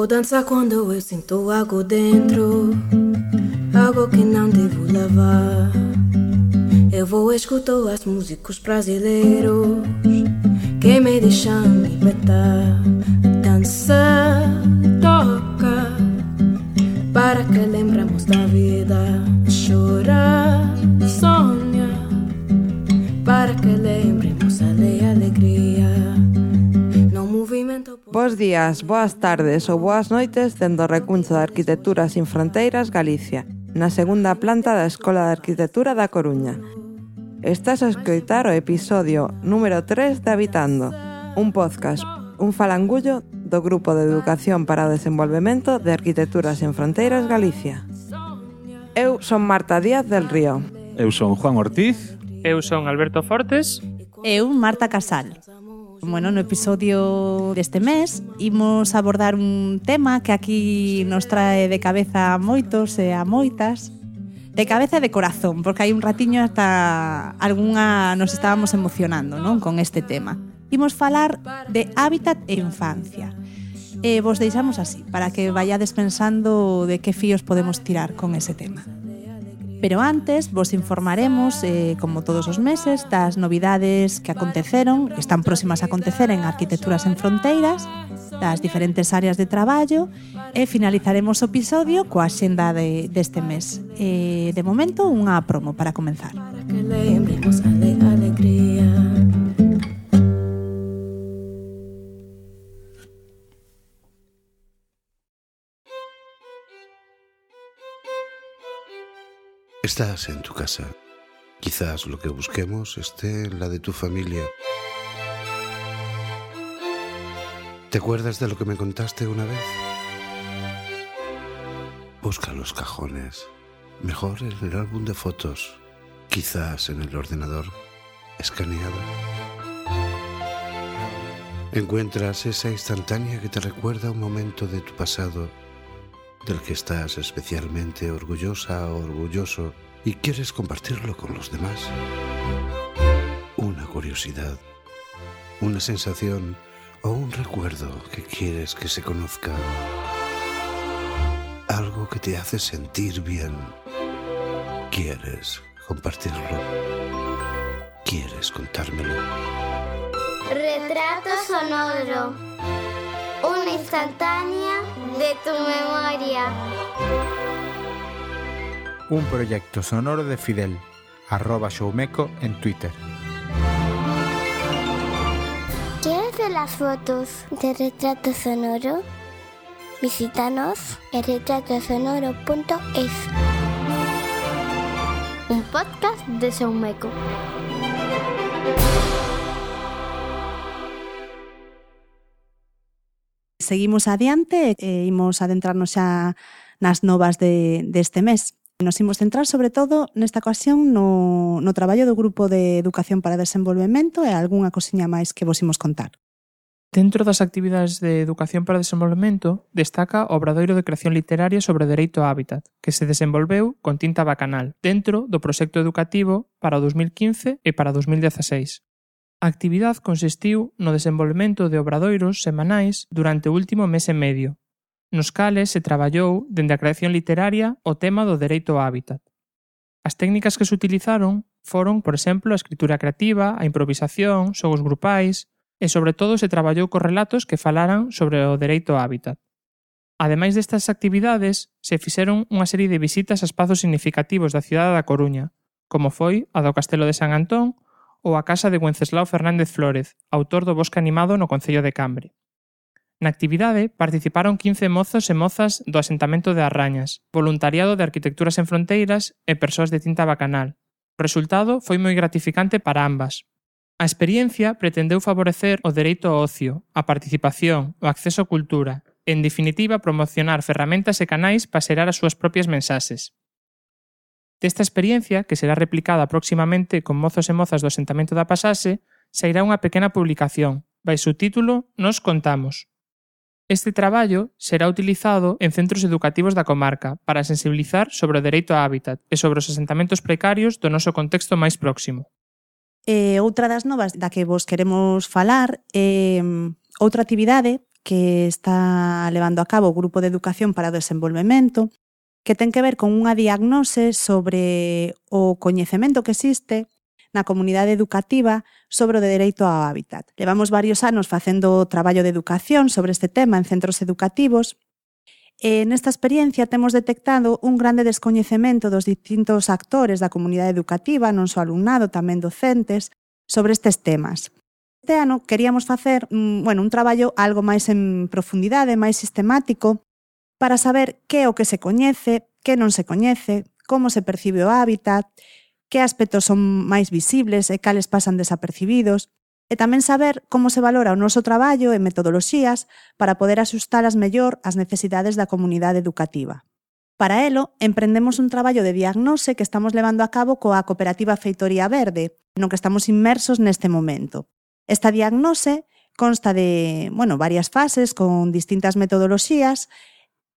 Vou dançar quando eu sinto algo dentro, algo que não devo levar. Eu vou escutar as músicos brasileiros que me deixam libertar. Dança, toca, para que lembremos da vida. Chora, sonha, para que lembremos a alegria. No movimento. Bos días, boas tardes ou boas noites dende o Recuncho de Arquitectura Sin Fronteiras, Galicia, na segunda planta da Escola de Arquitectura da Coruña. Estás a escoitar o episodio número 3 de Habitando, un podcast, un falangullo do Grupo de Educación para o Desenvolvemento de Arquitectura Sen Fronteiras Galicia. Eu son Marta Díaz del Río. Eu son Juan Ortiz. Eu son Alberto Fortes. Eu, Marta Casal. Bueno, no episodio deste mes imos abordar un tema que aquí nos trae de cabeza a moitos e a moitas. De cabeza e de corazón, porque hai un ratiño hasta algunha nos estábamos emocionando, non, con este tema. Imos falar de hábitat e infancia. Vos deixamos así, para que vayades pensando de que fíos podemos tirar con ese tema. Pero antes vos informaremos, como todos os meses, das novidades que aconteceron, que están próximas a acontecer en Arquitectura Sen Fronteiras, das diferentes áreas de traballo, e finalizaremos o episodio coa axenda deste mes. De momento, unha promo para comenzar. Para que lembremos a alegría. Estás en tu casa. Quizás lo que busquemos esté en la de tu familia. ¿Te acuerdas de lo que me contaste una vez? Busca los cajones. Mejor en el álbum de fotos. Quizás en el ordenador escaneado. Encuentras esa instantánea que te recuerda un momento de tu pasado del que estás especialmente orgullosa o orgulloso y quieres compartirlo con los demás. Una curiosidad, una sensación o un recuerdo que quieres que se conozca. Algo que te hace sentir bien. Quieres compartirlo. Quieres contármelo. Retrato sonoro. Una instantánea de tu memoria. Un proyecto sonoro de Fidel, @showmeco en Twitter. ¿Quieres ver las fotos de Retrato Sonoro? Visítanos en retratosonoro.es. Un podcast de Showmeco. Seguimos adiante e imos adentrarnos xa nas novas deste mes. Nos imos centrar sobre todo nesta ocasión no traballo do Grupo de Educación para o Desenvolvemento e algunha cosiña máis que vos imos contar. Dentro das actividades de Educación para o Desenvolvemento destaca o Obradoiro de Creación Literaria sobre o Dereito ao Hábitat, que se desenvolveu con tinta bacanal dentro do proxecto educativo para o 2015 e para o 2016. A actividade consistiu no desenvolvemento de obradoiros semanais durante o último mes e medio, nos cales se traballou dende a creación literaria o tema do dereito ao hábitat. As técnicas que se utilizaron foron, por exemplo, a escritura creativa, a improvisación, xogos grupais e, sobre todo, se traballou cos relatos que falaran sobre o dereito ao hábitat. Ademais destas actividades, se fixeron unha serie de visitas a espazos significativos da cidade da Coruña, como foi a do Castelo de San Antón ou a casa de Wenceslao Fernández Flórez, autor do Bosque Animado no concello de Cambre. Na actividade participaron 15 mozos e mozas do asentamento de Arrañas, voluntariado de Arquitectura Sen Fronteiras e persoas de tinta bacanal. O resultado foi moi gratificante para ambas. A experiencia pretendeu favorecer o dereito ao ocio, a participación, o acceso á cultura, e, en definitiva, promocionar ferramentas e canais para xerar as súas propias mensaxes. Desta experiencia, que será replicada próximamente con mozos e mozas do asentamento da Pasaxe, sairá unha pequena publicación, baixo o título Nos contamos. Este traballo será utilizado en centros educativos da comarca para sensibilizar sobre o dereito ao hábitat e sobre os asentamentos precarios do noso contexto máis próximo. Outra das novas da que vos queremos falar é outra actividade que está levando a cabo o Grupo de Educación para o Desenvolvemento, que ten que ver con unha diagnose sobre o coñecemento que existe na comunidade educativa sobre o dereito ao hábitat. Levamos varios anos facendo traballo de educación sobre este tema en centros educativos e nesta experiencia temos detectado un grande descoñecemento dos distintos actores da comunidade educativa, non só alumnado, tamén docentes, sobre estes temas. Este ano queríamos facer un traballo algo máis en profundidade, máis sistemático, para saber que é o que se coñece, que non se coñece, como se percibe o hábitat, que aspectos son máis visibles e cales pasan desapercibidos, e tamén saber como se valora o noso traballo e metodoloxías para poder axustalas mellor ás necesidades da comunidade educativa. Para elo, emprendemos un traballo de diagnose que estamos levando a cabo coa cooperativa Feitoría Verde, no que estamos inmersos neste momento. Esta diagnose consta de, varias fases con distintas metodoloxías,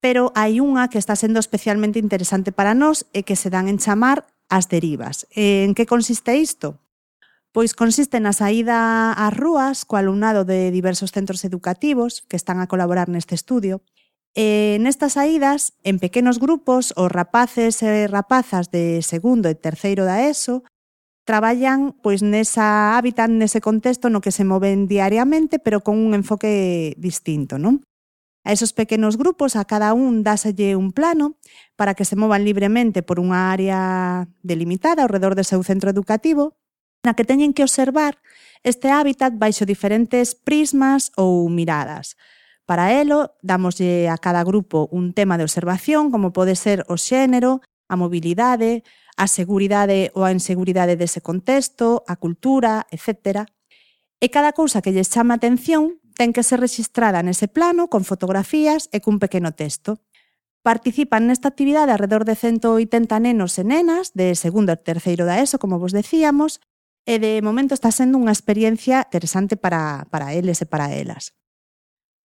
pero hai unha que está sendo especialmente interesante para nós e que se dan en chamar as derivas. En que consiste isto? Pois consiste na saída ás rúas co alumnado de diversos centros educativos que están a colaborar neste estudio. Nestas saídas, en pequenos grupos, os rapaces e rapazas de segundo e terceiro da ESO traballan nesa hábitat, nese contexto no que se moven diariamente, pero con un enfoque distinto, non? A esos pequenos grupos, a cada un dáselle un plano para que se movan libremente por unha área delimitada ao redor do seu centro educativo, na que teñen que observar este hábitat baixo diferentes prismas ou miradas. Para elo, damoslle a cada grupo un tema de observación, como pode ser o xénero, a mobilidade, a seguridade ou a inseguridade dese contexto, a cultura, etc. E cada cousa que lles chama a atención ten que ser rexistrada nese plano con fotografías e cun pequeno texto. Participan nesta actividade alrededor de 180 nenos e nenas de segundo e terceiro da ESO, como vos decíamos, e de momento está sendo unha experiencia interesante para eles e para elas.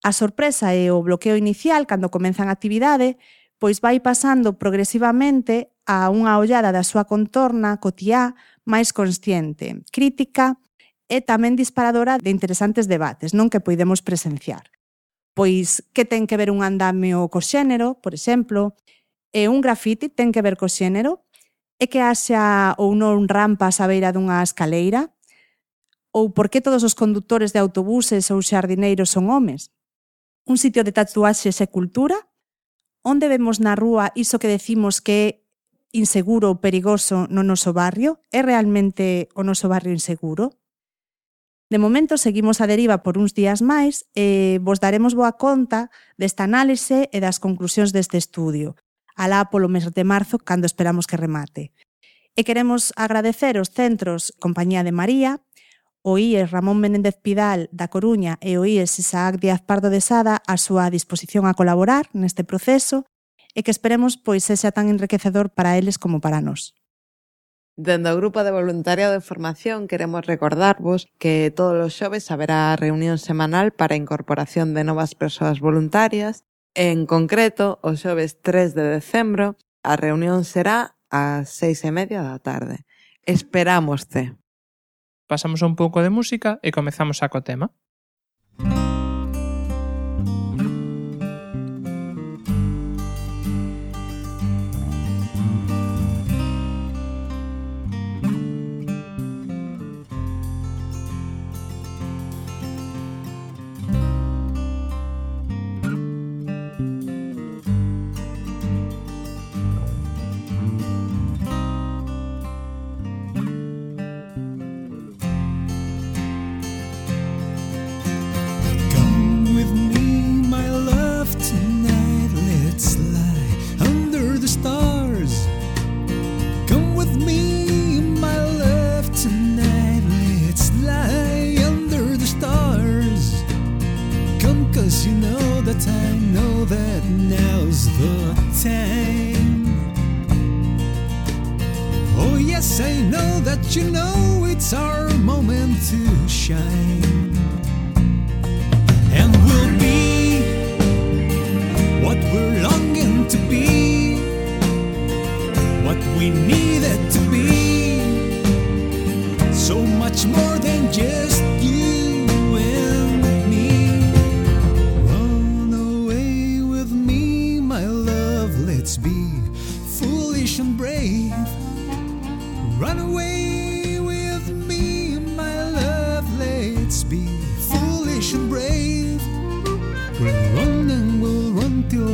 A sorpresa e o bloqueo inicial cando comenzan a actividade pois vai pasando progresivamente a unha ollada da súa contorna cotiá máis consciente, crítica e tamén disparadora de interesantes debates, non que poidemos presenciar. Pois que ten que ver un andamio co xénero, por exemplo, e un grafiti ten que ver co xénero, e que haxa ou non rampas á beira dunha escaleira? Ou por que todos os condutores de autobuses ou xardineiros son homes? Un sitio de tatuaxes é cultura? Onde vemos na rúa iso que decimos que é inseguro ou perigoso no noso barrio? É realmente o noso barrio inseguro? De momento seguimos a deriva por uns días máis e vos daremos boa conta desta análise e das conclusións deste estudio, alá polo mes de marzo, cando esperamos que remate. E queremos agradecer aos centros Compañía de María, o IES Ramón Menéndez Pidal da Coruña e o IES Isaac Díaz Pardo de Sada a súa disposición a colaborar neste proceso e que esperemos sexa tan enriquecedor para eles como para nós. Dende o Grupo de Voluntariado de Formación queremos recordarvos que todos os xoves haberá reunión semanal para a incorporación de novas persoas voluntarias. En concreto, o xoves 3 de decembro, a reunión será ás 6:30 da tarde. Esperámoste. Pasamos un pouco de música e comezamos a co tema. You know it's our moment to shine, and we'll be what we're longing to be, what we needed to be, so much more than just you and me. Oh.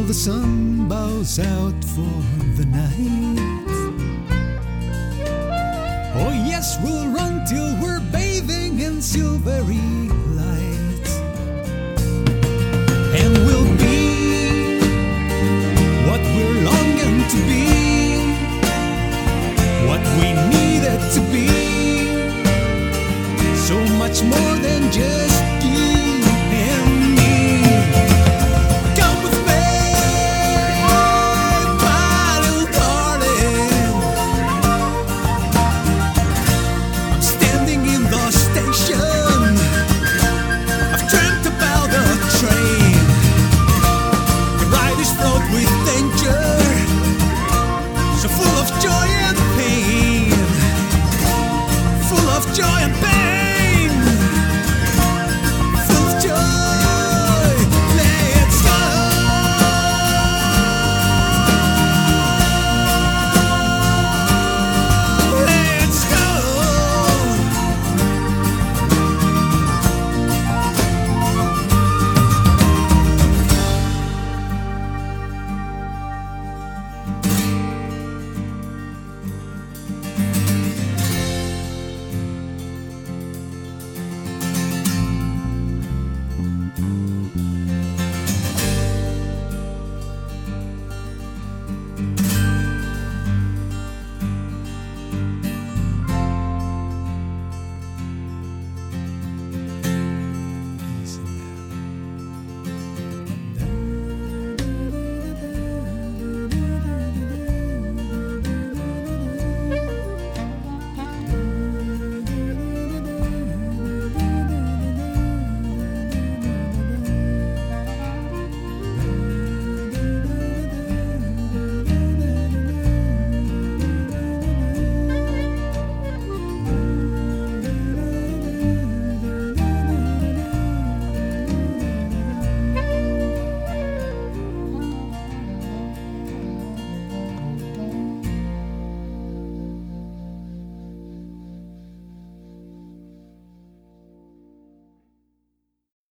the sun bows out for the night. Oh yes, we'll run till we're bathing in silvery light. And we'll be what we're longing to be, what we needed to be, so much more than just you and me. Come with me, my little darling. I'm standing in the station, I've dreamt about the train. The riders float with danger, so full of joy and pain, full of joy and pain.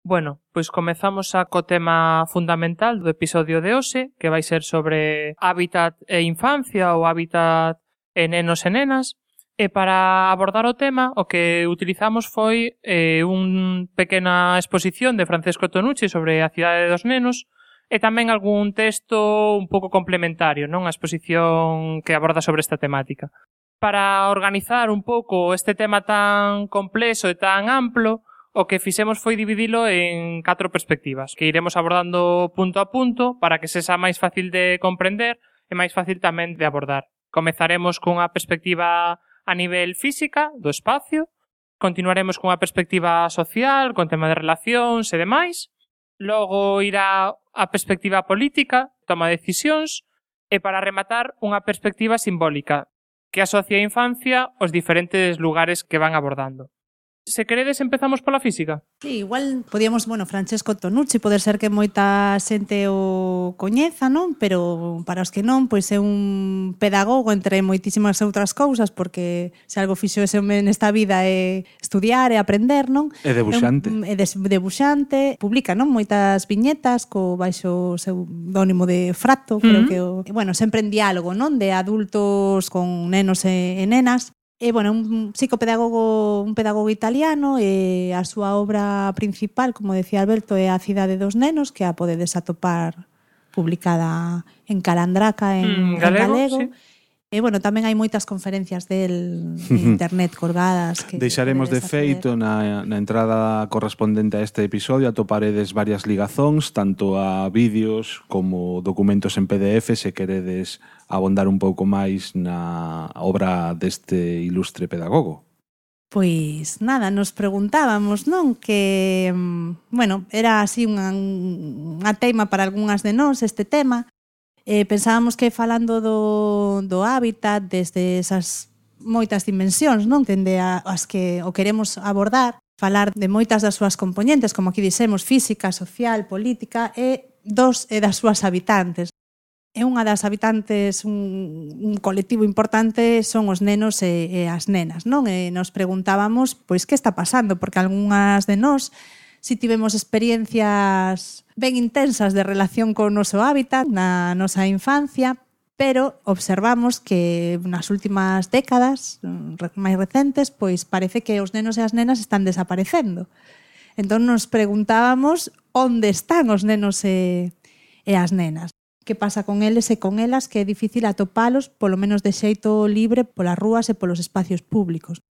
Bueno, pois comezamos xa co tema fundamental do episodio de hoxe, que vai ser sobre hábitat e infancia ou hábitat e nenos e nenas. E para abordar o tema, o que utilizamos foi unha pequena exposición de Francesco Tonucci sobre a cidade dos nenos e tamén algún texto un pouco complementario, non? A exposición que aborda sobre esta temática. Para organizar un pouco este tema tan complexo e tan amplo, o que fixemos foi dividilo en 4 perspectivas, que iremos abordando punto a punto para que sexa máis fácil de comprender e máis fácil tamén de abordar. Comezaremos cunha perspectiva a nivel física, do espacio, continuaremos cunha perspectiva social, con tema de relacións e demais, logo irá a perspectiva política, toma de decisións, e para rematar unha perspectiva simbólica, que asocia a infancia aos diferentes lugares que van abordando. Se queredes, empezamos pola física. Sí, igual podíamos, Francesco Tonucci, poder ser que moita xente o coñeza, non? Pero para os que non, pois é un pedagogo entre moitísimas outras cousas, porque se algo fixo ese home nesta vida é estudiar e aprender, non? É debuxante. É debuxante, publica, non? Moitas viñetas co baixo pseudónimo de Fratto, creo que sempre en diálogo, non? De adultos con nenos e nenas. E, un psicopedagogo, un pedagogo italiano, e a súa obra principal, como decía Alberto, é A cidade dos nenos, que a podedes atopar publicada en Calandraca, en galego. Sí. E, tamén hai moitas conferencias del internet colgadas. Que deixaremos de feito na entrada correspondente a este episodio, atoparedes varias ligazóns, tanto a vídeos como documentos en PDF, se queredes abondar un pouco máis na obra deste ilustre pedagogo. Pois nada, nos preguntábamos, non? Que, era así unha teima para algunhas de nós este tema. Pensábamos que falando do hábitat desde esas moitas dimensións, non? Dende as que o queremos abordar, falar de moitas das súas componentes, como aquí dixemos, física, social, política, e das súas habitantes. E unha das habitantes, un colectivo importante, son os nenos e as nenas, non? E nos preguntábamos, pois, que está pasando? Porque algunhas de nós si tivemos experiencias ben intensas de relación co noso hábitat na nosa infancia, pero observamos que nas últimas décadas máis recentes, pois parece que os nenos e as nenas están desaparecendo. Entón nos preguntábamos onde están os nenos e as nenas. Que pasa con eles e con elas, que é difícil atopalos, polo menos de xeito libre, polas rúas e polos espacios públicos.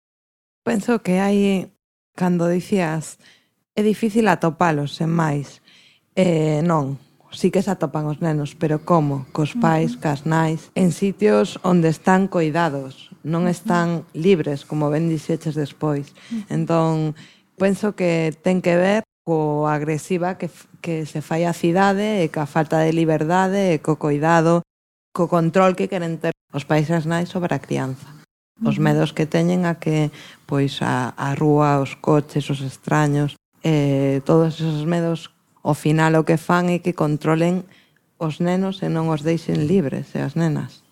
Penso que hai, cando dicías, é difícil atopalos, sen máis. Non, sí que se atopan os nenos, pero como? Cos pais, cas nais, en sitios onde están coidados, non están libres, como ben dixeches despois. Entón, penso que ten que ver co agresiva que se fai a cidade e ca falta de liberdade e co coidado, co control que queren ter os pais e as nais sobre a crianza. Os medos que teñen a que pois a rúa, os coches, os extraños, todos esos medos, ao final o que fan é que controlen os nenos e non os deixen libres e as nenas.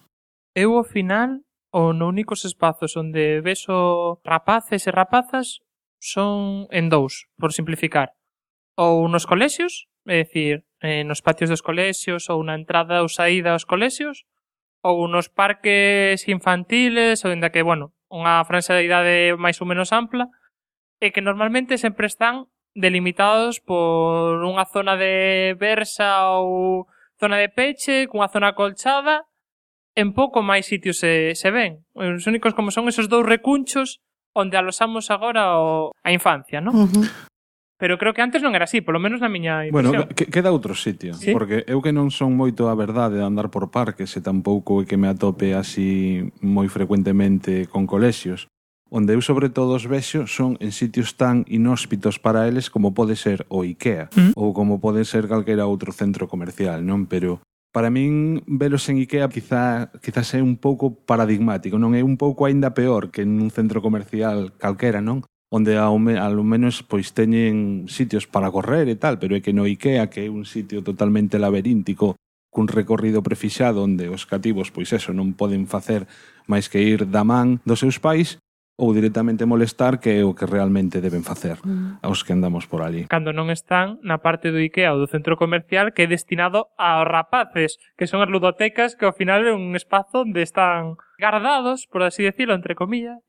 Eu, ao final, os únicos espazos onde vexo rapaces e rapazas son en dous, por simplificar. Ou nos colexios, é dicir, nos patios dos colexios ou na entrada ou saída aos colexios, ou nos parques infantiles, ou ainda que, bueno, unha franxa de idade máis ou menos ampla, e que normalmente sempre están delimitados por unha zona de versa ou zona de peche, cunha zona acolchada, en pouco máis sitios se ven. Os únicos como son esos dous recunchos onde alosamos agora a infancia, non? Pero creo que antes non era así, polo menos na miña impresión. Bueno, queda outro sitio, ¿sí? Porque eu que non son moito a verdade de andar por parques e tampouco é que me atope así moi frecuentemente con colexios. Onde eu sobre todo os vexo son en sitios tan inhóspitos para eles como pode ser o IKEA ou como pode ser calquera outro centro comercial, non? Pero para min velos en IKEA quizás é un pouco paradigmático, non? É un pouco aínda peor que en un centro comercial calquera, non? Onde ao menos pois teñen sitios para correr e tal, pero é que no IKEA, que é un sitio totalmente laberíntico, cun recorrido prefixado onde os cativos pois eso non poden facer máis que ir da man dos seus pais, ou directamente molestar, que é o que realmente deben facer aos que andamos por ali. Cando non están na parte do IKEA ou do centro comercial que é destinado aos rapaces, que son as ludotecas, que ao final é un espazo onde están guardados, por así decirlo, entre comillas,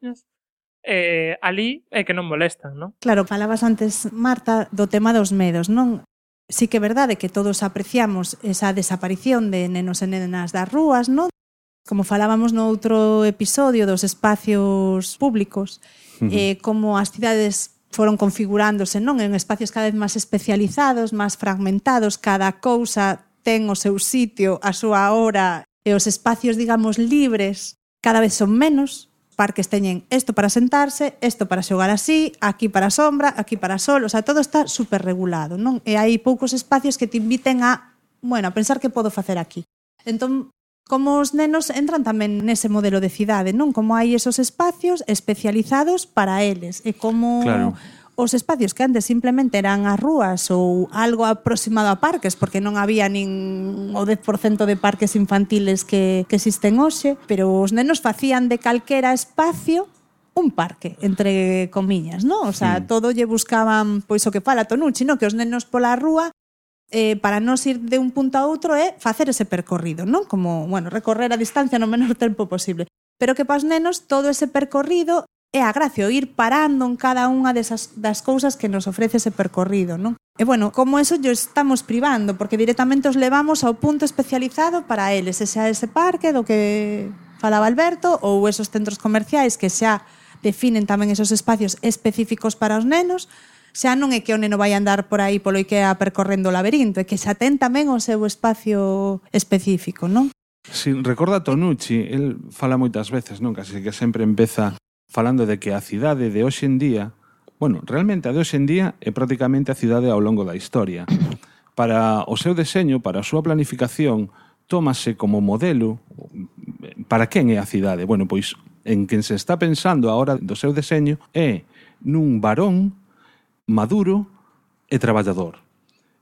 ali é que non molestan, non? Claro, falabas antes, Marta, do tema dos medos, non? Sí que é verdade que todos apreciamos esa desaparición de nenos e nenas das rúas, non? Como falábamos no outro episodio dos espacios públicos, como as cidades foron configurándose, non? En espacios cada vez máis especializados, máis fragmentados, cada cousa ten o seu sitio, a súa hora, e os espacios, digamos, libres cada vez son menos. Parques teñen isto para sentarse, isto para xogar así, aquí para sombra, aquí para sol, o sea, todo está super regulado, non? E hai poucos espacios que te inviten a pensar que podo facer aquí. Entón, como os nenos entran tamén nese modelo de cidade, non? Como hai esos espacios especializados para eles, e como os espacios que antes simplemente eran as rúas ou algo aproximado a parques, porque non había nin o 10% de parques infantiles que existen hoxe, pero os nenos facían de calquera espacio un parque, entre comillas, non? O sea, todo lle buscaban, pois o que fala Tonucci, non? Que os nenos pola rúa para non ir de un punto a outro é facer ese percorrido, non? Como, recorrer a distancia no menor tempo posible. Pero que para os nenos todo ese percorrido é a gracia, ir parando en cada unha das cousas que nos ofrece ese percorrido, non? E como eso yo estamos privando, porque directamente os levamos ao punto especializado para eles, xa ese parque do que falaba Alberto, ou esos centros comerciais que xa definen tamén esos espacios específicos para os nenos. Xa non é que o neno vai andar por aí polo IKEA percorrendo o laberinto, é que xa ten tamén o seu espacio específico, non? Si, recorda Tonucci, el fala moitas veces, non? Casi que sempre empeza falando de que a cidade de hoxe en día, realmente a de hoxe en día é prácticamente a cidade ao longo da historia. Para o seu deseño, para a súa planificación, tómase como modelo para quen é a cidade. Pois en quen se está pensando a hora do seu deseño é nun varón maduro e traballador.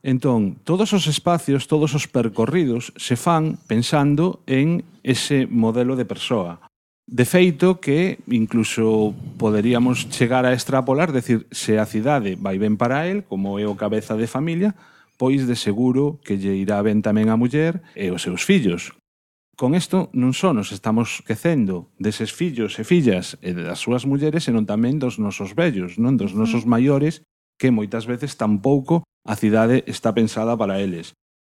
Entón, todos os espacios, todos os percorridos se fan pensando en ese modelo de persoa. De feito que incluso poderíamos chegar a extrapolar, decir, se a cidade vai ben para el, como é o cabeza de familia, pois de seguro que lle irá ben tamén a muller e os seus fillos. Con isto non só nos estamos quecendo deses fillos e fillas e das súas mulleres, senón tamén dos nosos vellos, non dos nosos maiores, que moitas veces tampouco a cidade está pensada para eles.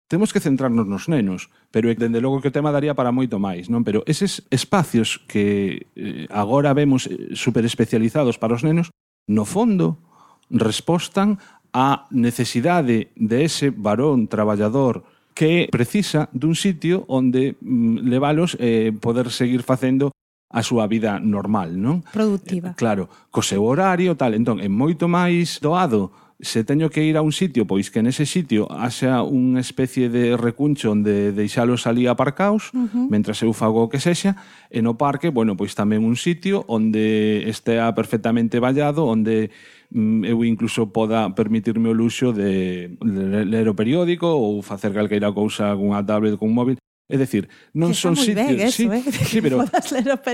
Temos que centrarnos nos nenos, pero dende logo que o tema daría para moito máis, non? Pero eses espacios que agora vemos super especializados para os nenos, no fondo, respostan á necesidade de ese varón traballador que precisa dun sitio onde levalos poder seguir facendo a súa vida normal, non? Productiva. Claro, co seu horario, tal. Entón, é moito máis doado se teño que ir a un sitio, pois que nese sitio haxa unha especie de recuncho onde deixalos ali aparcaos, mentras eu fago o que sexa, e no parque, bueno, pois tamén un sitio onde estea perfectamente vallado, onde eu incluso poda permitirme o luxo de ler o periódico ou facer calqueira cousa cunha tablet, cun móvil. É dicir, non son sitios, eso, sí,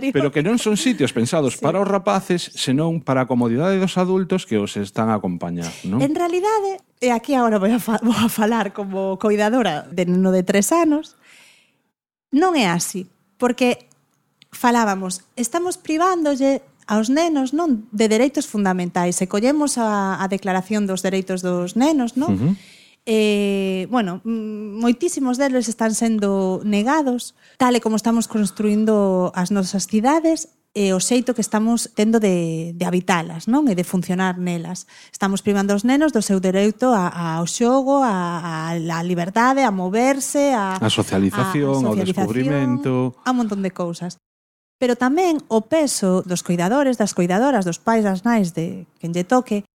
pero que non son sitios pensados para os rapaces, senón para a comodidade dos adultos que os están a acompañar, non? En realidade, e aquí agora vou a falar como coidadora de neno de 3 anos, non é así, porque falábamos, estamos privándolle aos nenos, non, de dereitos fundamentais. Se collemos a Declaración dos Dereitos dos Nenos, non? Bueno, moitísimos deles están sendo negados, tal e como estamos construindo as nosas cidades e o xeito que estamos tendo de habitalas, non? E de funcionar nelas. Estamos privando os nenos do seu dereito ao xogo, a liberdade, a moverse, a socialización, ao descubrimento, a un montón de cousas. Pero tamén o peso dos coidadores, das coidadoras, dos pais, das nais, de quen lle toque,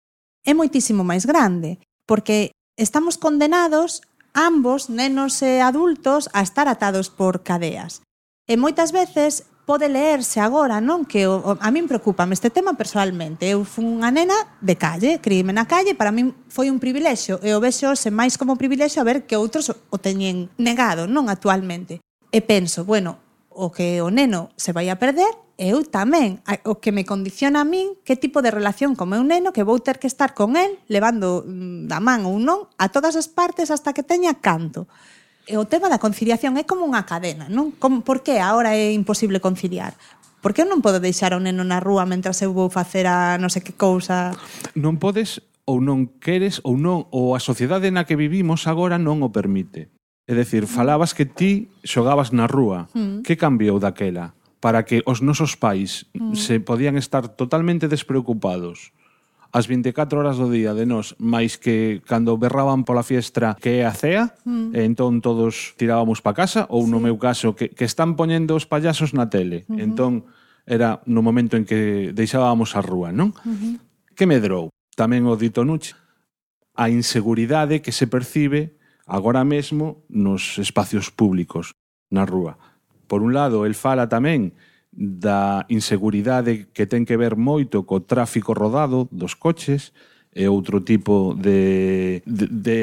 é moitísimo máis grande, porque estamos condenados, ambos, nenos e adultos, a estar atados por cadeas. E moitas veces pode leerse agora, non? Que a min preocúpame este tema personalmente. Eu fui unha nena de calle, criíme na calle, para min foi un privilexio, e o vexo se máis como privilexio a ver que outros o teñen negado, non actualmente. E penso, bueno, o que o neno se vai a perder, eu tamén. O que me condiciona a min que tipo de relación con meu neno que vou ter que estar con él, levando da man ou non, a todas as partes hasta que teña canto. E o tema da conciliación é como unha cadena, non? Por que agora é imposible conciliar? Por que eu non podo deixar o neno na rúa mentras eu vou facer a non sei que cousa? Non podes ou non queres ou non, ou a sociedade na que vivimos agora non o permite. É dicir, falabas que ti xogabas na rúa. Que cambiou daquela? Para que os nosos pais se podían estar totalmente despreocupados as 24 horas do día de nós, máis que cando berraban pola fiestra que é a cea, e entón todos tirábamos pa casa, ou no meu caso, que están poñendo os payasos na tele. Entón, era no momento en que deixábamos a rúa, non? Que medrou? Tamén o dito Nuche. A inseguridade que se percibe agora mesmo nos espacios públicos, na rúa. Por un lado, el fala tamén da inseguridade que ten que ver moito co tráfico rodado dos coches e outro tipo de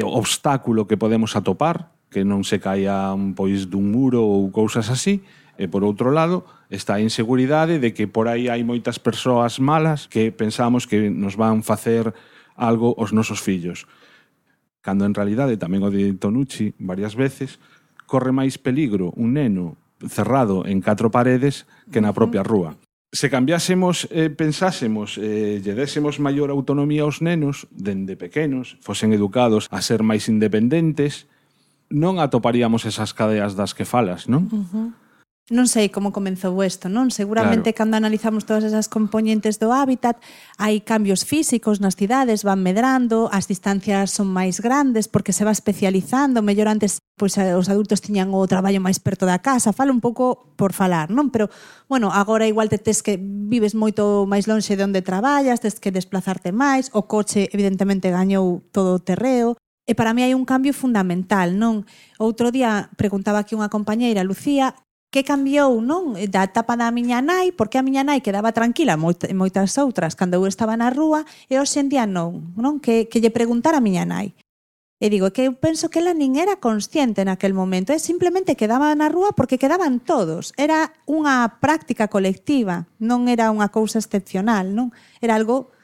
obstáculo que podemos atopar, que non se caian pois dun muro ou cousas así. E por outro lado, está a inseguridade de que por aí hai moitas persoas malas que pensamos que nos van facer algo aos nosos fillos. Cando en realidade, tamén o de Tonucci varias veces, corre máis peligro un neno cerrado en 4 paredes que na propia rúa. Se cambiásemos, pensásemos, lle désemos maior autonomía aos nenos, dende pequenos, fosen educados a ser máis independentes, non atoparíamos esas cadeas das que falas, non? Non sei como comenzou isto, non? Seguramente cando analizamos todas esas componentes do hábitat, hai cambios físicos nas cidades, van medrando, as distancias son máis grandes porque se va especializando, mellor antes pois os adultos tiñan o traballo máis perto da casa, falo un pouco por falar, non? Pero, bueno, agora igual tes que vives moito máis lonxe de onde traballas, tes que desplazarte máis, o coche evidentemente gañou todo o terreo. E para mí hai un cambio fundamental, non? Outro día preguntaba aquí unha compañeira, Lucía, que cambiou, non? Da etapa da miña nai, porque a miña nai quedaba tranquila moitas outras cando eu estaba na rúa, e hoxe en día non? Que lle preguntar a miña nai. E digo, que eu penso que ela nin era consciente naquel momento, simplemente quedaba na rúa porque quedaban todos. Era unha práctica colectiva, non era unha cousa excepcional, non? Era algo,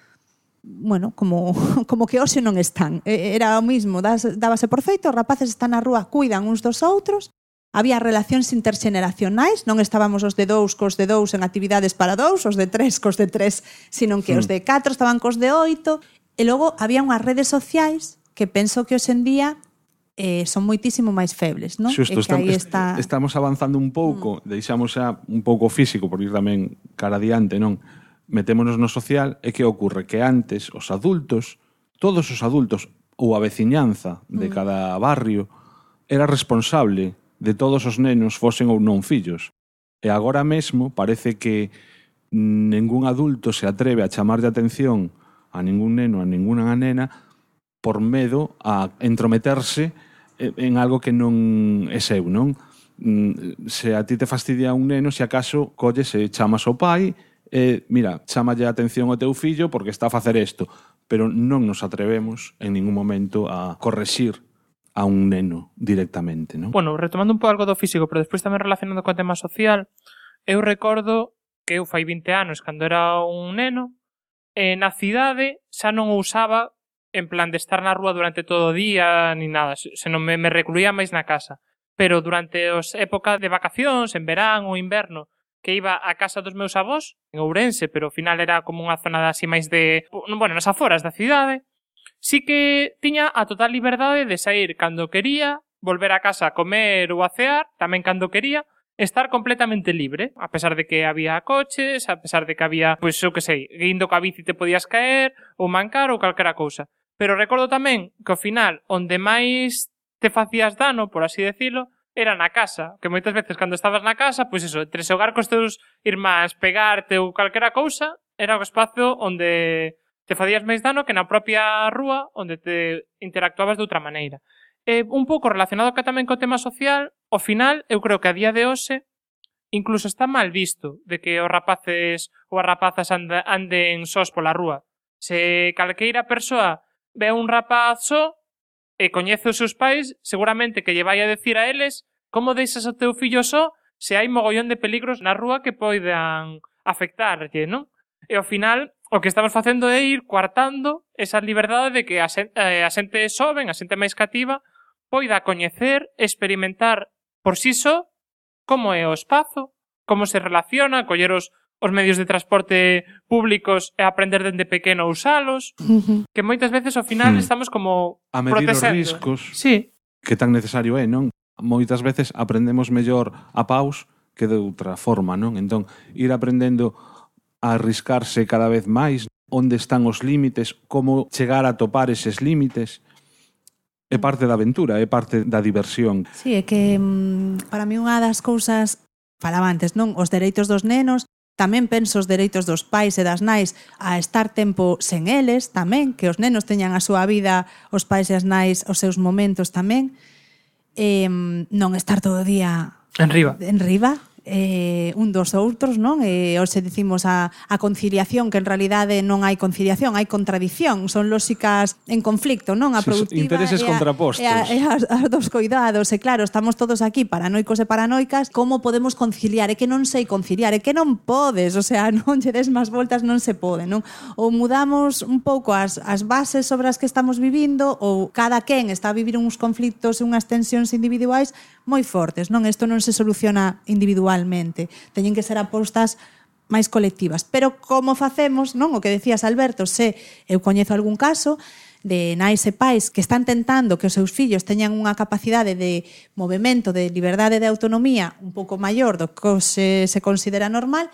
bueno, como que hoxe non están. Era o mismo, dábase por feito, os rapaces están na rúa, cuidan uns dos outros, había relacións interxeneracionais, non estábamos os de 2 cos de 2 en actividades para 2, os de 3 cos de 3, senón que os de 4 estaban cos de 8, e logo había unhas redes sociais que penso que hoxe en día son moitísimo máis febles, non? Xusto, estamos avanzando un pouco, deixamos xa un pouco físico, por ir tamén cara adiante, non? Metémonos no social, e que ocorre? Que antes os adultos, todos os adultos, ou a veciñanza de cada barrio, era responsable de todos os nenos, fosen ou non fillos. E agora mesmo parece que ningún adulto se atreve a chamar de atención a ningún neno, a ninguna nena, por medo a entrometerse en algo que non é seu, non? Se a ti te fastidia un neno, se acaso colles e chamas ao pai e, mira, chámalle a atención ao teu fillo porque está a facer isto, pero non nos atrevemos en ningún momento a correxir a un neno directamente, non? Bueno, retomando un pouco algo do físico, pero despois tamén relacionado co tema social, eu recordo que eu fai 20 anos, cando era un neno, na cidade xa non o usaba en plan de estar na rúa durante todo o día ni nada, senón me recluía máis na casa. Pero durante as épocas de vacacións, en verán ou inverno, que iba a casa dos meus avós, en Ourense, pero ao final era como unha zona así máis de... Bueno, nas aforas da cidade, sí que tiña a total liberdade de sair cando quería, volver a casa a comer ou a cear, tamén cando quería, estar completamente libre, a pesar de que había coches, a pesar de que había, pois, eu que sei, indo ca bici te podías caer, ou mancar, ou calquera cousa. Pero recordo tamén que ao final, onde máis te facías dano, por así decirlo, era na casa. Que moitas veces cando estabas na casa, pois eso, entre xogar cos teus irmáns, pegarte ou calquera cousa, era o espazo onde te facías máis dano que na propia rúa onde te interactuabas de outra maneira. Un pouco relacionado tamén co tema social, ao final, eu creo que a día de hoxe incluso está mal visto de que os rapaces ou as rapazas anden sós pola rúa. Se calqueira persoa ve un rapaz só e coñece os seus pais, seguramente que lle vai a decir a eles como deixas o teu fillo só se hai mogollón de peligros na rúa que poidan afectarlle, non? E ao final, o que estamos facendo é ir coartando esa liberdade de que a xente xoven, a xente máis cativa, poida coñecer, experimentar por si só como é o espazo, como se relaciona, coller os medios de transporte públicos e aprender dende pequeno a usalos, que moitas veces ao final estamos como a medir protesendo. Os riscos, sí, que tan necesario é, non? Moitas veces aprendemos mellor a paus que de outra forma, non? Entón, ir aprendendo a arriscarse cada vez máis, onde están os límites, como chegar a topar eses límites, é parte da aventura, é parte da diversión. Sí, é que para mí unha das cousas, falaba antes, non? Os dereitos dos nenos, tamén penso os dereitos dos pais e das nais a estar tempo sen eles, tamén, que os nenos teñan a súa vida, os pais e as nais os seus momentos tamén, non estar todo o día en riba, un dos outros, non? Hoxe dicimos a conciliación, que en realidade non hai conciliación, hai contradición, son lóxicas en conflicto, non? A productiva intereses contrapostos. E as dos coidados, e claro, estamos todos aquí paranoicos e paranoicas, como podemos conciliar? É que non sei conciliar, é que non podes, o sea, non lle des máis voltas, non se pode, non? Ou mudamos un pouco as bases sobre as que estamos vivindo, ou cada quen está a vivir uns conflictos e unhas tensións individuais moi fortes, non? Isto non se soluciona individualmente, teñen que ser apostas máis colectivas. Pero como facemos, non? O que decías, Alberto, se eu coñezo algún caso de nais e pais que están tentando que os seus fillos teñan unha capacidade de movimento, de liberdade de autonomía un pouco maior do que se considera normal,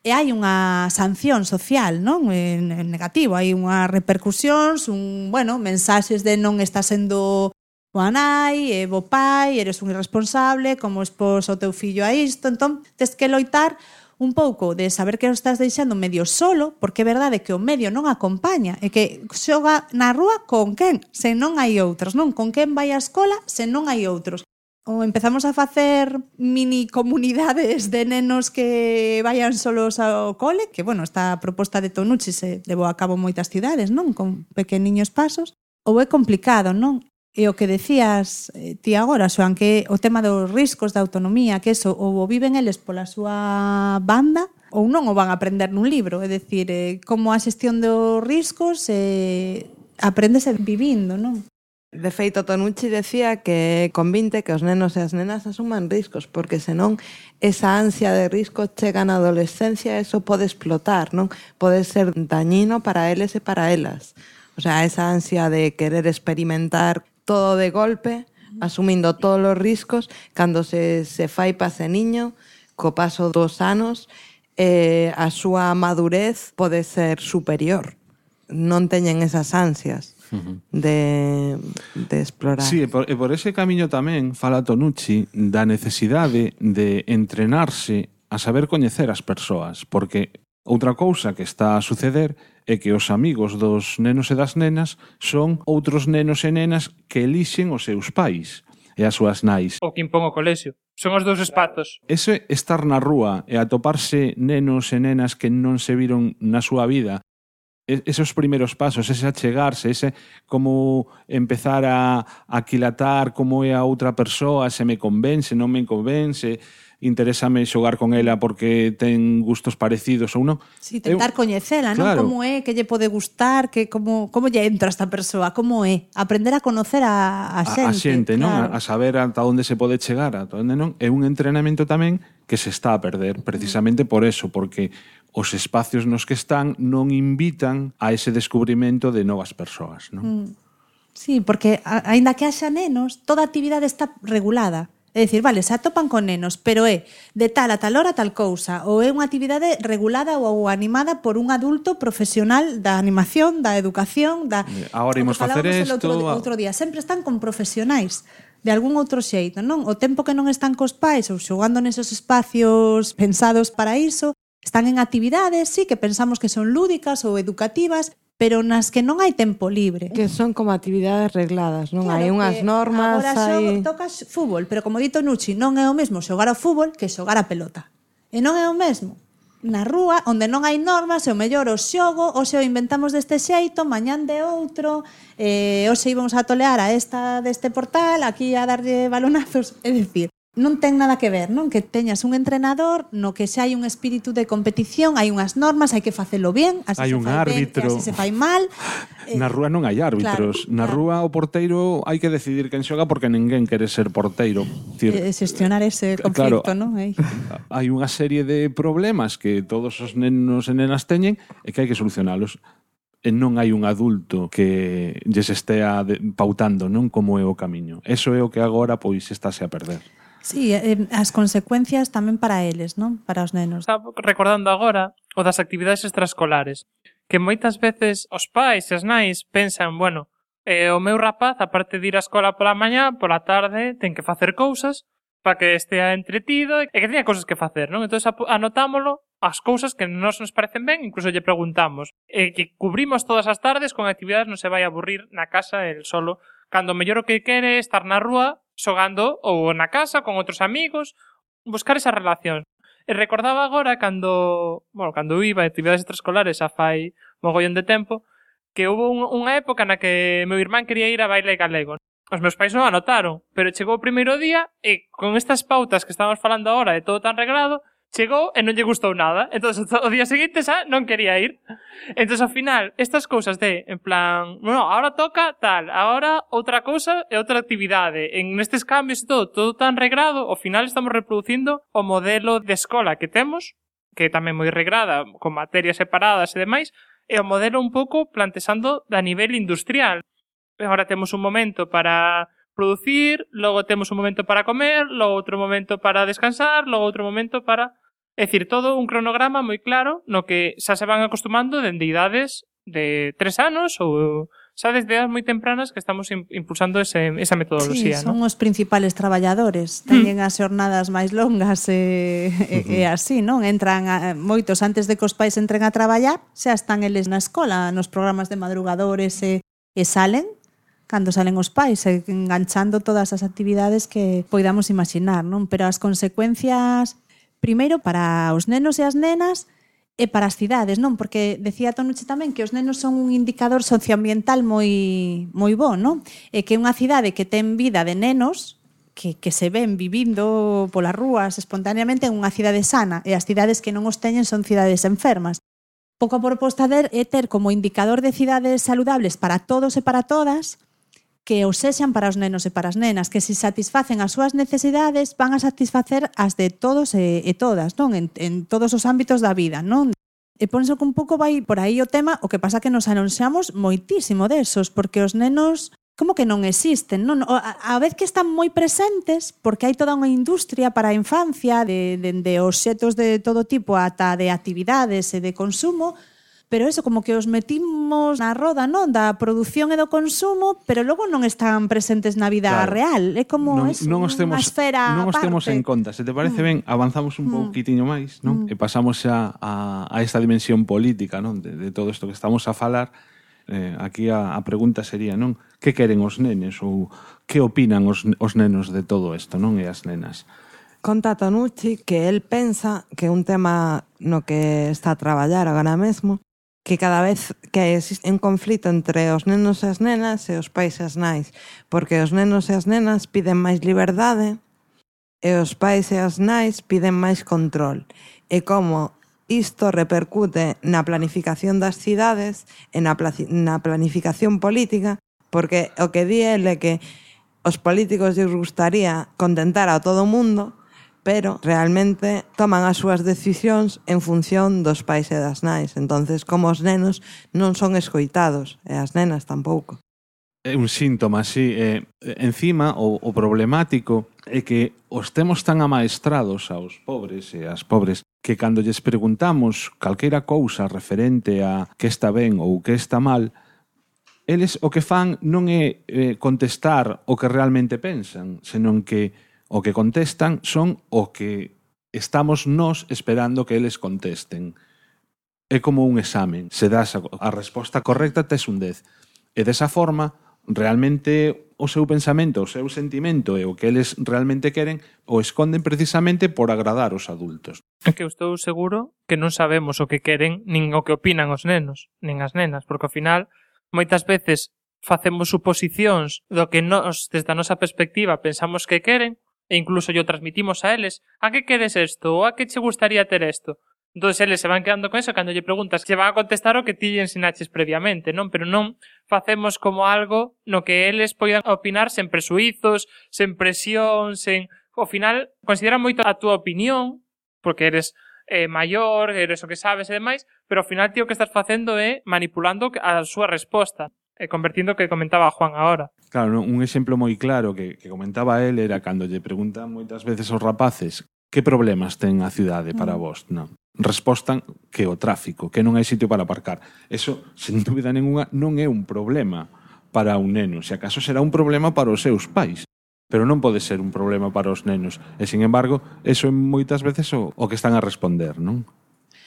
e hai unha sanción social, non? En negativo, hai unha repercusións, mensaxes de non está sendo boa nai, bo pai, eres un irresponsable, como expós o teu fillo a isto. Entón, tes que loitar un pouco de saber que o estás deixando medio solo, porque é verdade que o medio non acompaña, e que xoga na rúa con quen, se non hai outros, non? Con quen vai á escola, se non hai outros. Ou empezamos a facer mini comunidades de nenos que vayan solos ao cole, que, esta proposta de Tonucci se levou a cabo moitas cidades, non? Con pequeniños pasos. Ou é complicado, non? E o que decías ti agora, Xoan, que o tema dos riscos da autonomía, que eso ou viven eles pola súa banda ou non o van a aprender nun libro. É dicir, como a xestión dos riscos apréndese vivindo, non? De feito, Tonucci decía que convinte que os nenos e as nenas asuman riscos, porque senón esa ansia de risco chega na adolescencia, eso pode explotar, non? Pode ser dañino para eles e para elas. O sea, esa ansia de querer experimentar todo de golpe, asumindo todos os riscos, cando se fai pa ese niño, co paso dos anos, a súa madurez pode ser superior. Non teñen esas ansias de explorar. Sí, e por ese camiño tamén fala Tonucci da necesidade de entrenarse a saber coñecer as persoas, porque outra cousa que está a suceder é que os amigos dos nenos e das nenas son outros nenos e nenas que elixen os seus pais e as súas nais. O que impón o colexio. Son os dous espazos. Ese estar na rúa e atoparse nenos e nenas que non se viron na súa vida, esos primeiros pasos, ese achegarse, ese como empezar a aquilatar como é a outra persoa, se me convence, non me convence, interésame xogar con ela porque ten gustos parecidos ou non. Si, tentar coñecela, claro, non? Como é, que lle pode gustar, que como lle entra esta persoa, como é. Aprender a conocer a xente. A xente, non? Claro. A saber ata onde se pode chegar, ata onde non. É un entrenamento tamén que se está a perder, precisamente por eso, porque os espacios nos que están non invitan a ese descubrimento de novas persoas, non? Sí, porque aínda que haxa nenos, toda actividade está regulada. É dicir, vale, se atopan con nenos, pero é de tal a tal hora tal cousa, ou é unha actividade regulada ou animada por un adulto profesional da animación, da educación, da... Agora imos facer isto... Outro día, sempre están con profesionais de algún outro xeito, non? O tempo que non están cos pais ou xogando nesos espacios pensados para iso, están en actividades, sí, que pensamos que son lúdicas ou educativas, pero nas que non hai tempo libre. Que son como actividades regladas, non? Claro, hai unhas normas, agora tocas fútbol, pero como dito Nucci, non é o mesmo xogar ao fútbol que xogar a pelota. E non é o mesmo na rúa, onde non hai normas, e o mellor o xogo, hoxe o inventamos deste xeito, mañán de outro, hoxe íbamos a tolear a esta deste portal, aquí a darlle balonazos, é dicir, non ten nada que ver, non? Que teñas un entrenador no que xa hai un espírito de competición, hai unhas normas, hai que facelo bien, así hai se un fai árbitro. Ben, así se fai mal. Na rúa non hai árbitros. Claro, na rúa o porteiro hai que decidir quen xoga porque ninguén quere ser porteiro. Xestionar ese conflicto, claro, non? Hai unha serie de problemas que todos os nenos e nenas teñen e que hai que solucionalos. E non hai un adulto que lles estea pautando, non, como é o camiño. Eso é o que agora pois estáse a perder. Sí, as consecuencias tamén para eles, non? Para os nenos. Estaba recordando agora o das actividades extraescolares, que moitas veces os pais e as nais pensan, bueno, o meu rapaz, aparte de ir á escola pola mañá, pola tarde ten que facer cousas para que estea entretido e que teña cousas que facer, non? Entón anotámolo as cousas que nos parecen ben, incluso lle preguntamos, que cubrimos todas as tardes con actividades, non se vai a aburrir na casa el solo, cando mellor o que quere é estar na rúa xogando ou na casa con outros amigos, buscar esa relación. E recordaba agora cando iba a actividades extraescolares a fai mogollón de tempo, que houve unha época na que meu irmán quería ir a baile galego. Os meus pais non anotaron, pero chegou o primeiro día e con estas pautas que estamos falando agora de todo tan reglado, chegou e non lle gustou nada. Entón, o día seguinte xa non quería ir. Entón, ao final, estas cousas de, en plan, bueno, ahora toca tal, ahora outra cousa e outra actividade. En estes cambios e todo tan regrado, ao final estamos reproducindo o modelo de escola que temos, que é tamén moi regrada, con materias separadas e demais, e o modelo un pouco plantexando a nivel industrial. Agora temos un momento para producir, logo temos un momento para comer, logo outro momento para descansar, logo outro momento para... É dicir, todo un cronograma moi claro no que xa se van acostumando dende idades de 3 anos ou xa desde edades moi tempranas que estamos impulsando esa metodoloxía. Sí, son os principales traballadores. Teñen as xornadas máis longas e así, non? Entran moitos antes de que os pais entren a traballar, xa están eles na escola, nos programas de madrugadores e salen cando salen os pais, enganchando todas as actividades que poidamos imaginar, non? Pero as consecuencias, primeiro, para os nenos e as nenas, e para as cidades, non? Porque decía Tonucci tamén que os nenos son un indicador socioambiental moi bo, non? E que unha cidade que ten vida de nenos que se ven vivindo polas rúas espontaneamente en unha cidade sana, e as cidades que non os teñen son cidades enfermas. Pouco a proposta é ter como indicador de cidades saludables para todos e para todas, que os sexan para os nenos e para as nenas, que se satisfacen as súas necesidades van a satisfacer as de todos e todas, non? En todos os ámbitos da vida, non? E penso que un pouco vai por aí o tema, o que pasa que nos anunciamos moitísimo desos, porque os nenos como que non existen, non? A vez que están moi presentes, porque hai toda unha industria para a infancia, de obxetos de todo tipo ata de actividades e de consumo, pero eso, como que os metimos na roda, non? Da produción e do consumo, pero logo non están presentes na vida real. É como unha esfera non os aparte. temos en conta. Se te parece ben, avanzamos un pouquitiño máis, non? E pasamos xa a esta dimensión política, non? De todo isto que estamos a falar. Aquí a pregunta sería, non? Que queren os nenes ou que opinan os nenos de todo isto, non? E as nenas. Conta Tonucci que el pensa que un tema no que está a traballar agora mesmo, que cada vez que existe un conflito entre os nenos e as nenas e os pais e as nais, porque os nenos e as nenas piden máis liberdade e os pais e as nais piden máis control. E como isto repercute na planificación das cidades e na planificación política, porque o que di el é que os políticos lles gustaría contentar a todo o mundo, pero realmente toman as súas decisións en función dos pais e das nais. Entonces, como os nenos non son escoitados, e as nenas tampouco. É un síntoma, sí. Encima, o problemático é que os temos tan amaestrados aos pobres e ás pobres que cando lles preguntamos calquera cousa referente a que está ben ou que está mal, eles o que fan non é contestar o que realmente pensan, senón que o que contestan son o que estamos nós esperando que eles contesten. É como un examen. Se das a resposta correcta, tes un 10. E desa forma, realmente o seu pensamento, o seu sentimento e o que eles realmente queren o esconden precisamente por agradar os adultos. É que eu estou seguro que non sabemos o que queren nin o que opinan os nenos, nin as nenas, porque ao final moitas veces facemos suposicións do que nós, desde a nosa perspectiva, pensamos que queren, e incluso yo transmitimos a eles a que queres isto, ou a que che gustaría ter isto. Entón, eles se van quedando con eso, cando lle preguntas, se van a contestar o que ti lle ensinaches previamente, non? Pero non facemos como algo no que eles poidan opinar sen presuizos, sen presión, sen... Ao final, consideran moito a túa opinión, porque eres maior, eres o que sabes e demais, pero ao final ti o que estás facendo é manipulando a súa resposta, convertindo o que comentaba Juan agora. Claro, un exemplo moi claro que comentaba él era cando lle preguntan moitas veces aos rapaces que problemas ten a cidade para vos, non? Respostan que o tráfico, que non hai sitio para aparcar. Eso, sen dúbida ninguna, non é un problema para un neno. Se acaso será un problema para os seus pais, pero non pode ser un problema para os nenos. E, sin embargo, eso é moitas veces o que están a responder, non?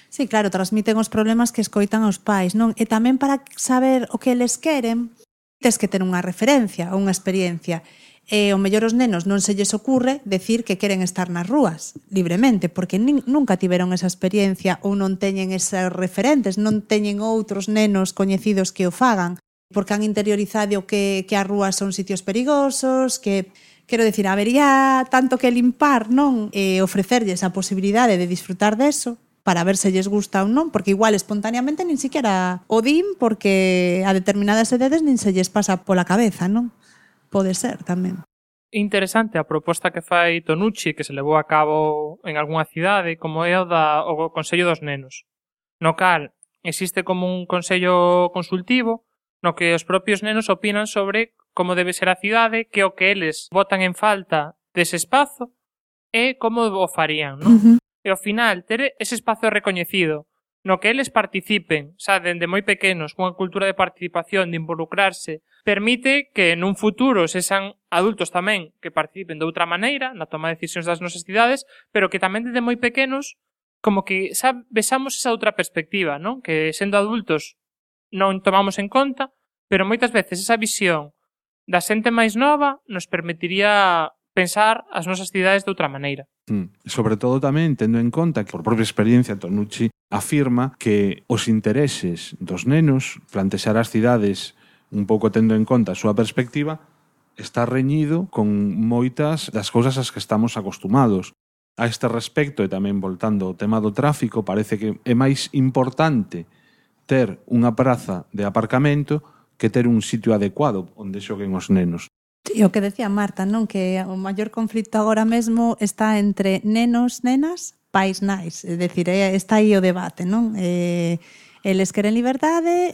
Sí, claro, transmiten os problemas que escoitan os pais, non? E tamén para saber o que eles queren, tes que ter unha referencia, unha experiencia. E o mellor os nenos non se lles ocurre decir que queren estar nas rúas libremente, porque nunca tiveron esa experiencia ou non teñen esos referentes, non teñen outros nenos coñecidos que o fagan, porque han interiorizado que as rúas son sitios perigosos, que, quero dicir, habería tanto que limpar, non? E ofrecerlles a posibilidade de disfrutar deso, para ver se lles gusta ou non, porque igual espontaneamente nin siquiera o din, porque a determinadas edades nin se lles pasa pola cabeza, non? Pode ser tamén. Interesante a proposta que fai Tonucci, que se levou a cabo en algunha cidade, como é o Consello dos Nenos, no cal existe como un consello consultivo no que os propios nenos opinan sobre como debe ser a cidade, que o que eles botan en falta dese espazo e como o farían, non? E ao final, ter ese espazo recoñecido no que eles participen, xa dende moi pequenos, cunha cultura de participación, de involucrarse, permite que nun futuro sexan adultos tamén que participen de outra maneira na toma de decisións das nosas cidades, pero que tamén dende moi pequenos como que vexamos esa outra perspectiva, non? Que sendo adultos non tomamos en conta, pero moitas veces esa visión da xente máis nova nos permitiría pensar as nosas cidades de outra maneira. Sobre todo tamén tendo en conta que por propia experiencia Tonucci afirma que os intereses dos nenos, plantexar as cidades un pouco tendo en conta a súa perspectiva, está reñido con moitas das cousas ás que estamos acostumados. A este respecto, e tamén voltando ao tema do tráfico, parece que é máis importante ter unha praza de aparcamento que ter un sitio adecuado onde xoguen os nenos. E o que decía Marta, non? Que o maior conflito agora mesmo está entre nenos, nenas, pais nais. É dicir, está aí o debate, non? Eles queren liberdade,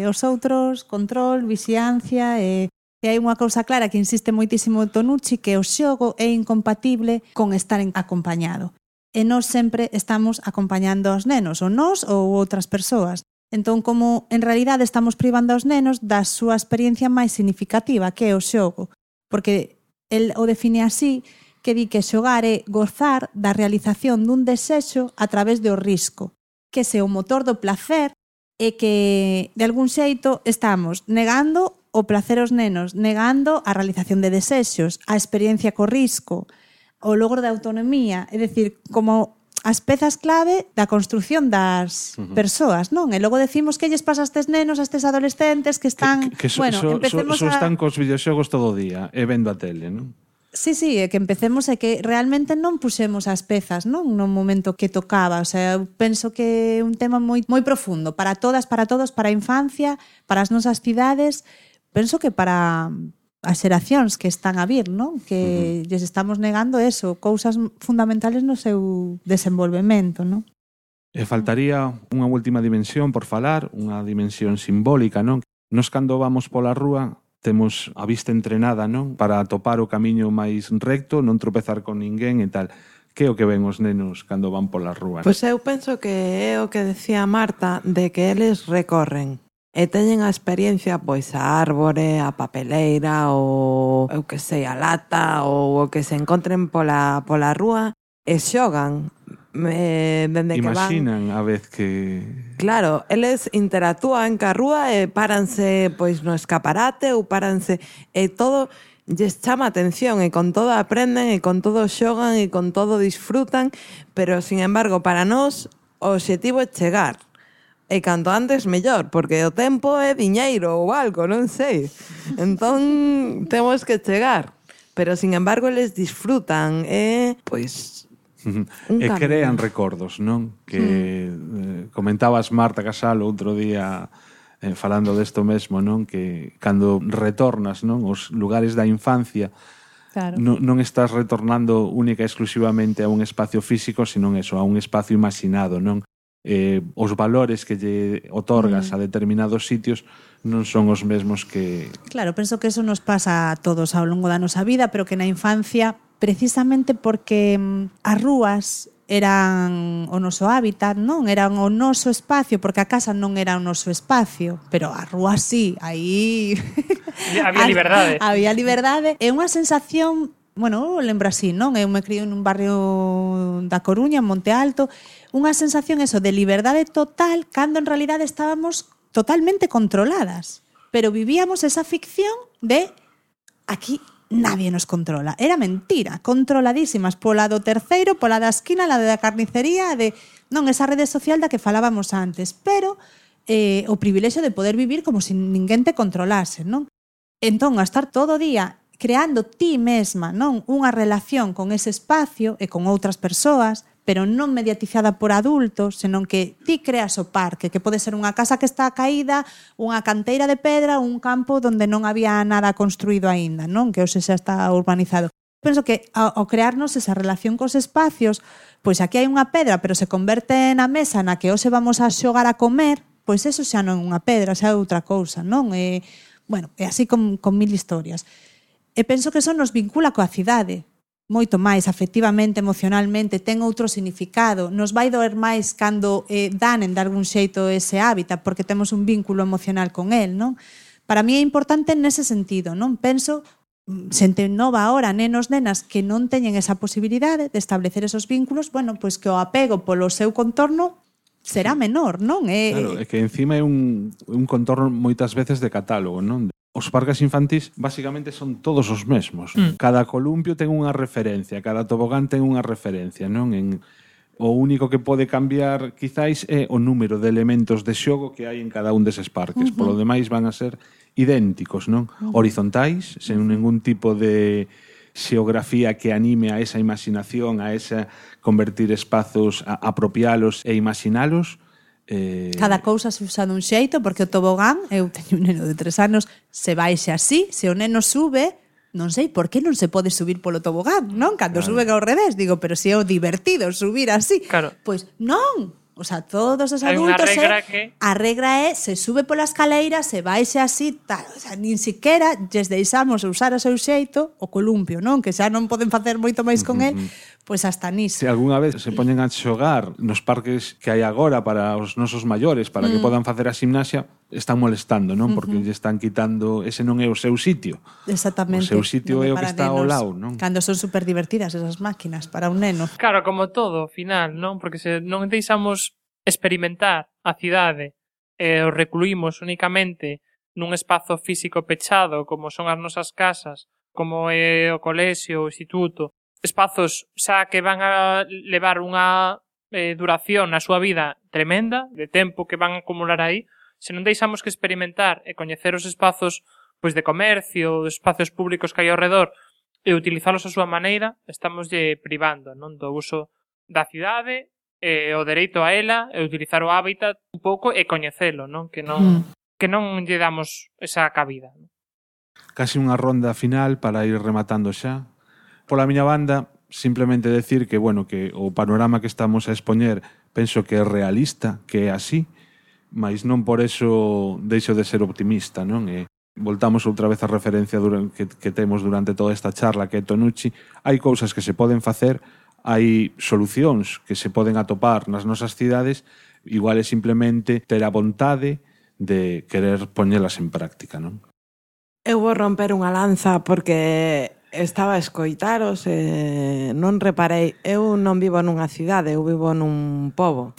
os outros control, vixiancia, e hai unha cousa clara que insiste moitísimo Tonucci, que o xogo é incompatible con estar acompañado. E nós sempre estamos acompañando aos nenos, ou nós ou outras persoas. Entón, como en realidade estamos privando aos nenos da súa experiencia máis significativa, que é o xogo. Porque el o define así, que di que xogar é gozar da realización dun desexo a través do risco, que se o motor do placer é que, de algún xeito, estamos negando o placer aos nenos, negando a realización de desexos, a experiencia co risco, o logro de autonomía, é dicir, como as pezas clave da construción das persoas, non? E logo decimos que lles pasa a estes nenos, a estes adolescentes que están... empecemos están cos videoxogos todo o día e vendo a tele, non? Sí, é que empecemos e que realmente non puxemos as pezas, non? No momento que tocaba, o sea, eu penso que é un tema moi profundo para todas, para todos, para a infancia, para as nosas cidades, penso que para as xeracións que están a vir, non? Que lles estamos negando eso, cousas fundamentales no seu desenvolvemento, non? E faltaría unha última dimensión por falar, unha dimensión simbólica, non? Nos cando vamos pola rúa temos a vista entrenada, non? Para atopar o camiño máis recto, non tropezar con ninguén e tal. Que é o que ven os nenos cando van pola rúa? Pois eu penso que é o que decía Marta, de que eles recorren e teñen a experiencia, pois, a árbore, a papeleira, ou eu que sei, a lata, ou o que se encontren pola rúa, e xogan. Dende imaginan que van, a vez que... Claro, eles interactúan ca rúa e páranse pois no escaparate ou páranse e todo lles chama a atención e con todo aprenden e con todo xogan e con todo disfrutan, pero sin embargo para nós o obxectivo é chegar. E canto antes mellor, porque o tempo é diñeiro ou algo, non sei. Entón temos que chegar, pero sin embargo eles disfrutan e pois e crean recordos, non? Que comentabas Marta Casal outro día falando desto mesmo, non? Que cando retornas, non, os lugares da infancia, claro, non estás retornando única e exclusivamente a un espacio físico, senón eso, a un espacio imaginado, non? Os valores que lle otorgas a determinados sitios non son os mesmos que... Claro, penso que eso nos pasa a todos ao longo da nosa vida, pero que na infancia, precisamente porque as rúas eran o noso hábitat, non? Eran o noso espacio, porque a casa non era o noso espacio, pero a rúa sí, aí... Había liberdade. Había liberdade. É unha sensación, bueno, eu lembro así, non? Eu me crio nun barrio da Coruña, en Monte Alto, unha sensación eso de liberdade total, cando en realidade estábamos totalmente controladas. Pero vivíamos esa ficción de aquí nadie nos controla. Era mentira, controladísimas pola do terceiro, pola da esquina, la da carnicería, de non esa rede social da que falábamos antes, pero o privilexio de poder vivir como se ninguén te controlase, non? Entón, a estar todo o día creando ti mesma, non, unha relación con ese espacio e con outras persoas, pero non mediatizada por adultos, senón que ti creas o parque, que pode ser unha casa que está caída, unha canteira de pedra, un campo onde non había nada construído aínda, non? Que hoxe xa está urbanizado. Penso que ao crearnos esa relación cos espacios, pois aquí hai unha pedra, pero se converte na mesa na que hoxe vamos a xogar a comer, pois eso xa non é unha pedra, xa é outra cousa, non? Bueno, é así con mil historias. E penso que eso nos vincula coa cidade, moito máis afectivamente, emocionalmente, ten outro significado, nos vai doer máis cando danen de algún xeito ese hábitat, porque temos un vínculo emocional con el, non? Para mí é importante nese sentido, non? Penso, xente nova ahora, nenos, nenas, que non teñen esa posibilidade de establecer esos vínculos, bueno, pois que o apego polo seu contorno será menor, non? Claro, é que encima é un contorno moitas veces de catálogo, non? Os parques infantís basicamente son todos os mesmos. Cada columpio ten unha referencia, cada tobogán ten unha referencia, non? O único que pode cambiar quizáis é o número de elementos de xogo que hai en cada un deses parques. Polo demais van a ser idénticos, non? Horizontais, sen ningún tipo de xeografía que anime a esa imaginación, a esa convertir espazos, a apropialos e imaginalos. Cada cousa se usa dun xeito, porque o tobogán, eu teño un neno de 3 anos, se baixe así, se o neno sube, non sei por que non se pode subir polo tobogán, non? Cando suben ao revés, digo, pero se é o divertido subir así. Claro. Pois non, o sea, todos os Hai unha adultos regra que... a regra é se sube pola escaleira, se baixe así, tal, o sea, nin siquiera lles deixamos usar o seu xeito o columpio, non? Que xa non poden facer moito máis con el, pois hasta niso. Se algunha vez se poñen a xogar nos parques que hai agora para os nosos maiores, para que podan facer a gimnasia, están molestando, non? Porque lle están quitando, ese non é o seu sitio. Exactamente. O seu sitio é o que está ao lado, non? Cando son super divertidas esas máquinas para un neno. Claro, como todo, ao final, non? Porque se non deixamos experimentar a cidade e o recluímos únicamente nun espazo físico pechado como son as nosas casas, como é o colexio, o instituto, espazos xa que van a levar unha duración na súa vida tremenda, de tempo que van a acumular aí, se non deixamos que experimentar e coñecer os espazos pois de comercio, os espacios públicos que hai ao redor e utilizalos a súa maneira, estamos privando, non, do uso da cidade e o dereito a ela e utilizar o hábitat un pouco e coñecelo, non? Que non lle damos esa cabida. Casi unha ronda final para ir rematando xa. Pola miña banda, simplemente decir que, bueno, que o panorama que estamos a expoñer penso que é realista, que é así, mas non por eso deixo de ser optimista, non? E voltamos outra vez a referencia que temos durante toda esta charla, que é Tonucci. Hai cousas que se poden facer, hai solucións que se poden atopar nas nosas cidades, igual é simplemente ter a vontade de querer poñelas en práctica, non? Eu vou romper unha lanza porque estaba a escoitaros e non reparei. Eu non vivo nunha cidade, eu vivo nun pobo.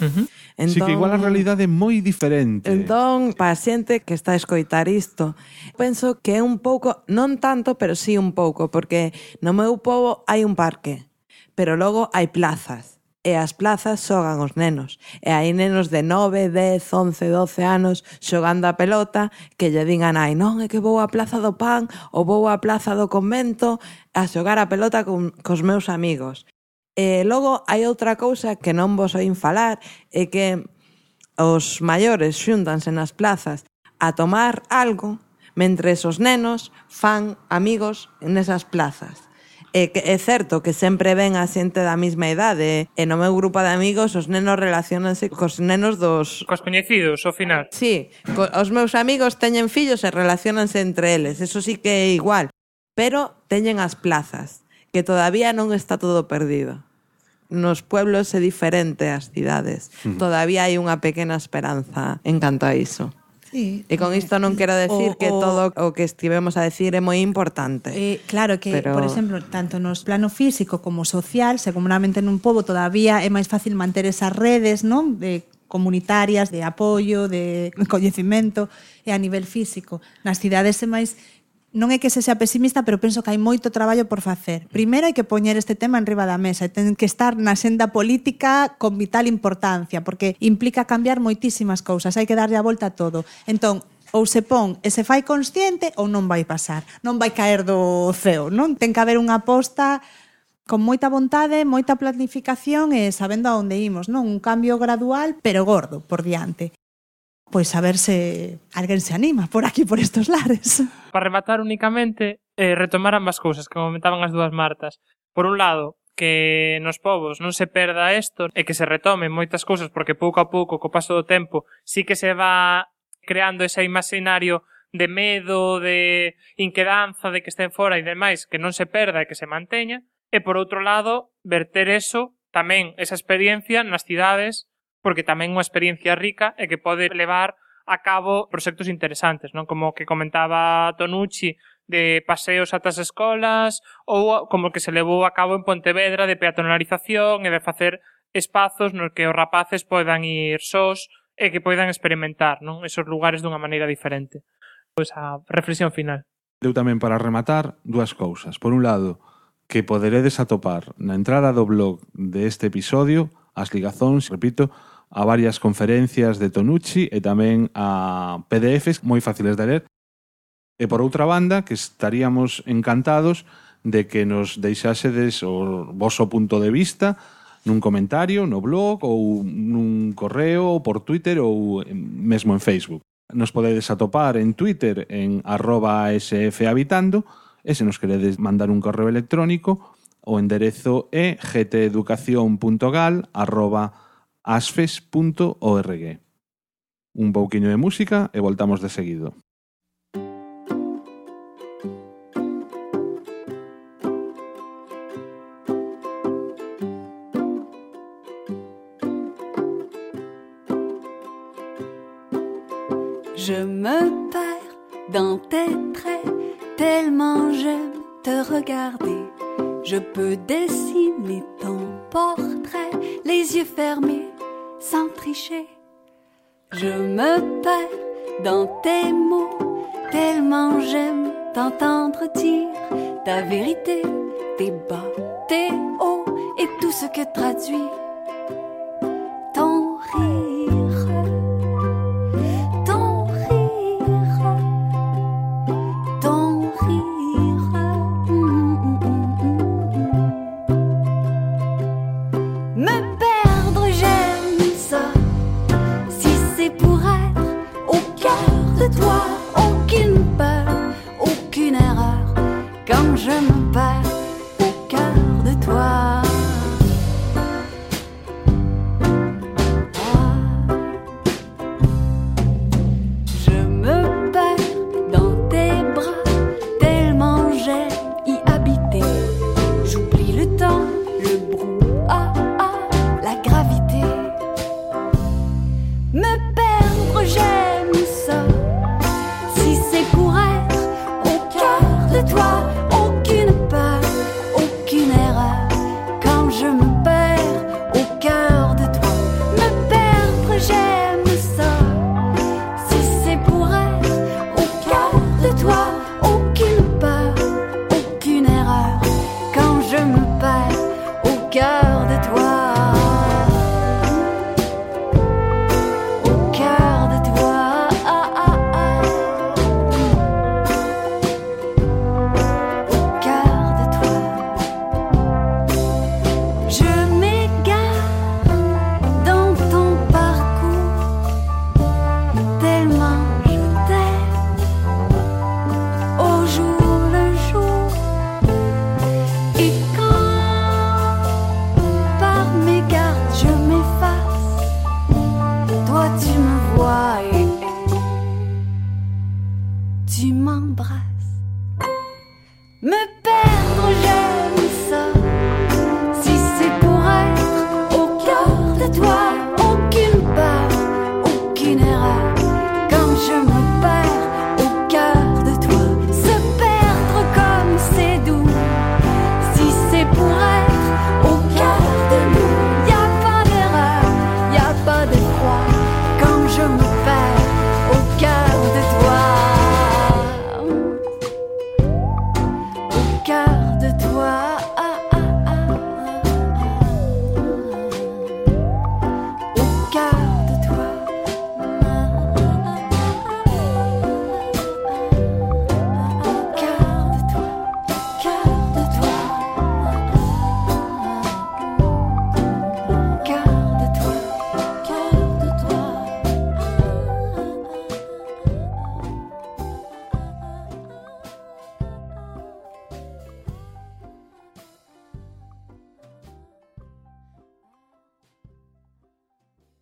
Entón, sí, que igual a realidade é moi diferente. Entón, para a xente que está a escoitar isto, penso que é un pouco, non tanto, pero sí un pouco, porque no meu pobo hai un parque, pero logo hai plazas, e as plazas xogan os nenos, e hai nenos de 9, 10, 11, 12 anos xogando a pelota que lle din a nai, non, é que vou á Plaza do Pan ou vou á Plaza do Convento a xogar a pelota cos meus amigos. E logo hai outra cousa que non vos oín falar, é que os maiores xúntanse nas plazas a tomar algo mentres os nenos fan amigos nesas plazas. É certo que sempre ven a xente da mesma idade e no meu grupo de amigos os nenos relacionanse cos nenos dos... Cos coñecidos, ao final. Sí, os meus amigos teñen fillos e relacionanse entre eles, eso sí que é igual. Pero teñen as plazas, que todavía non está todo perdido. Nos pueblos é diferente as cidades. Todavía hai unha pequena esperanza en canto a iso. Sí. E con isto non quero decir que todo o que estivemos a decir é moi importante. Claro que, por exemplo, tanto nos plano físico como social, seguramente nun pobo todavía é máis fácil manter esas redes, non? De comunitarias, de apoio, de coñecimento, e a nivel físico. Nas cidades é máis... Non é que se sea pesimista, pero penso que hai moito traballo por facer. Primeiro hai que poñer este tema enriba da mesa e ten que estar na senda política con vital importancia, porque implica cambiar moitísimas cousas, hai que darlle a volta a todo. Entón, ou se pon e se fai consciente ou non vai pasar, non vai caer do ceo, non? Ten que haber unha aposta con moita vontade, moita planificación e sabendo a onde imos, non? Un cambio gradual, pero gordo, por diante. Pois a ver se alguén se anima por aquí, por estos lares. Para rematar únicamente, retomar ambas cousas que comentaban as dúas Martas. Por un lado, que nos povos non se perda isto e que se retomen moitas cousas, porque pouco a pouco, co paso do tempo, sí que se va creando ese imaginario de medo, de inquedanza, de que estén fora e demais, que non se perda e que se manteña. E por outro lado, verter eso, tamén esa experiencia nas cidades, porque tamén é unha experiencia rica e que pode levar a cabo proxectos interesantes, non? Como que comentaba Tonucci, de paseos ata as escolas, ou como que se levou a cabo en Pontevedra de peatonalización e de facer espazos nos que os rapaces podan ir sós e que podan experimentar, non? Esos lugares dunha maneira diferente. Pois a reflexión final. Eu tamén para rematar dúas cousas. Por un lado, que poderedes atopar na entrada do blog deste episodio as ligazóns, repito, a varias conferencias de Tonucci e tamén a PDFs moi fáciles de ler. E por outra banda, que estaríamos encantados de que nos deixásedes o voso punto de vista nun comentario, no blog ou nun correo, ou por Twitter ou mesmo en Facebook. Nos podedes atopar en Twitter en @sfhabitando e se nos queredes mandar un correo electrónico o enderezo é gteducacion.gal@asfes.org. Un pouquiño de música e voltamos de seguido. Je me perds dans tes traits, tellement j'aime te regarder. Je peux dessiner ton portrait, les yeux fermés, sans tricher. Je me perds dans tes mots, tellement j'aime t'entendre dire ta vérité, tes bas, tes hauts et tout ce que traduit ton rire. Je me perds au cœur de toi. Je me perds dans tes bras, tellement j'aime y habiter. J'oublie le temps, le brouhaha, la gravité. Me perdre, j'aime ça. Si c'est pour être au cœur de toi.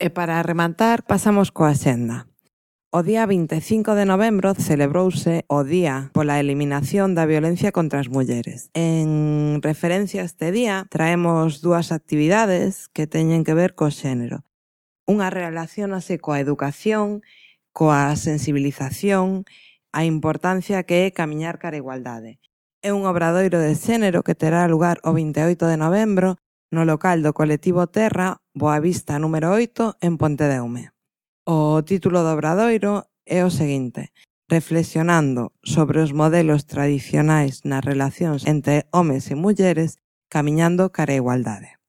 E para rematar, pasamos coa xenda. O día 25 de novembro celebrouse o Día pola Eliminación da Violencia contra as Mulleres. En referencia a este día, traemos dúas actividades que teñen que ver co xénero. Unha relacionase coa educación, coa sensibilización, a importancia que é camiñar cara a igualdade. É un obradoiro de xénero que terá lugar o 28 de novembro no local do colectivo Terra, Boavista número 8, en Pontedeume. O título do obradoiro é o seguinte: reflexionando sobre os modelos tradicionais nas relacións entre homes e mulleres, camiñando cara a igualdade.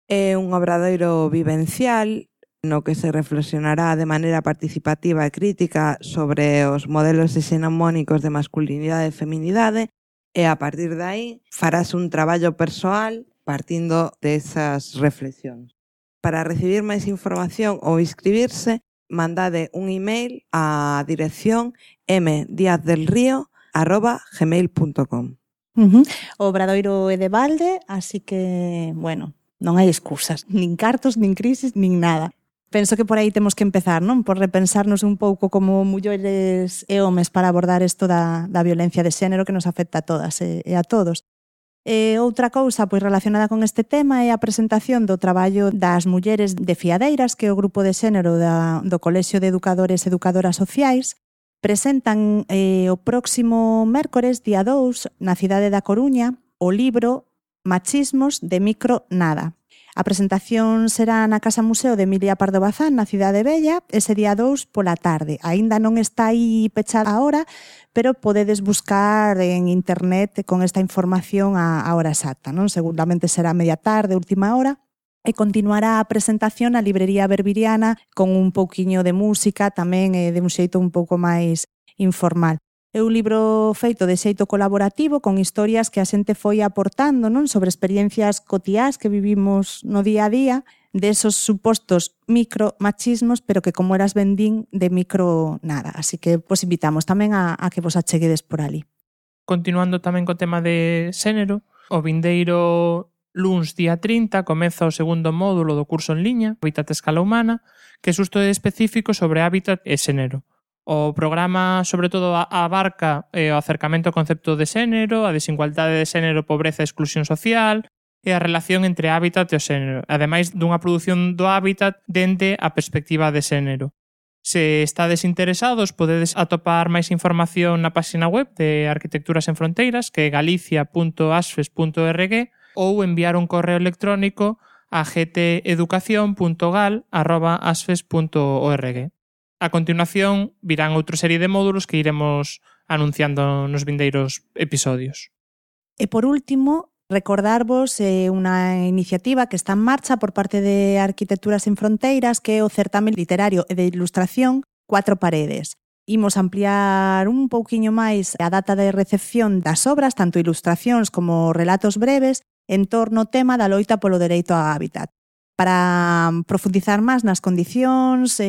É un obradoiro vivencial no que se reflexionará de maneira participativa e crítica sobre os modelos hexenomónicos de masculinidade e feminidade e a partir de aí farás un traballo persoal partindo desas reflexións. Para recibir máis información ou inscribirse, mandade un email á dirección mdiazdelrio@gmail.com. O obradoiro é de balde, así que, bueno, non hai excusas, nin cartos, nin crisis, nin nada. Penso que por aí temos que empezar, non? Por repensarnos un pouco como mulleres e homes para abordar isto da violencia de xénero que nos afecta a todas e a todos. Outra cousa pois relacionada con este tema é a presentación do traballo das mulleres de Fiadeiras, que é o grupo de xénero do Colexio de Educadores e Educadoras Sociais. Presentan o próximo mércores, día 2, na cidade da Coruña, o libro Machismos de Micro Nada. A presentación será na Casa Museo de Emilia Pardo Bazán, na Cidade Bella, ese día 2 pola tarde. Aínda non está aí pechada a hora, pero podedes buscar en internet con esta información a hora exacta, non? Seguramente será media tarde, última hora, e continuará a presentación na librería Berbiriana con un pouquiño de música, tamén de un xeito un pouco máis informal. É un libro feito de xeito colaborativo con historias que a xente foi aportando, non, sobre experiencias cotiás que vivimos no día a día, desos supostos micromachismos, pero que, como eras ben din, de micro nada. Así que vos invitamos tamén a que vos acheguedes por ali. Continuando tamén co tema de xénero, o vindeiro luns día 30 comeza o segundo módulo do curso en liña, Hábitat a escala humana, que é xusto específico sobre hábitat e xénero. O programa, sobre todo, abarca o acercamento ao concepto de xénero, a desigualdade de xénero, pobreza e exclusión social e a relación entre hábitat e o xénero, ademais dunha produción do hábitat dende a perspectiva de xénero. Se estades interesados, podedes atopar máis información na página web de Arquitecturas en Fronteiras, que é galicia.asfes.org, ou enviar un correo electrónico a gteducacion.gal@asfes.org. A continuación virán outra serie de módulos que iremos anunciando nos vindeiros episodios. E por último, recordarvos unha iniciativa que está en marcha por parte de Arquitecturas en Fronteiras, que é o certame literario e de ilustración Cuatro Paredes. Imos ampliar un pouquiño máis a data de recepción das obras, tanto ilustracións como relatos breves, en torno ao tema da loita polo dereito a hábitat. Para profundizar máis nas condicións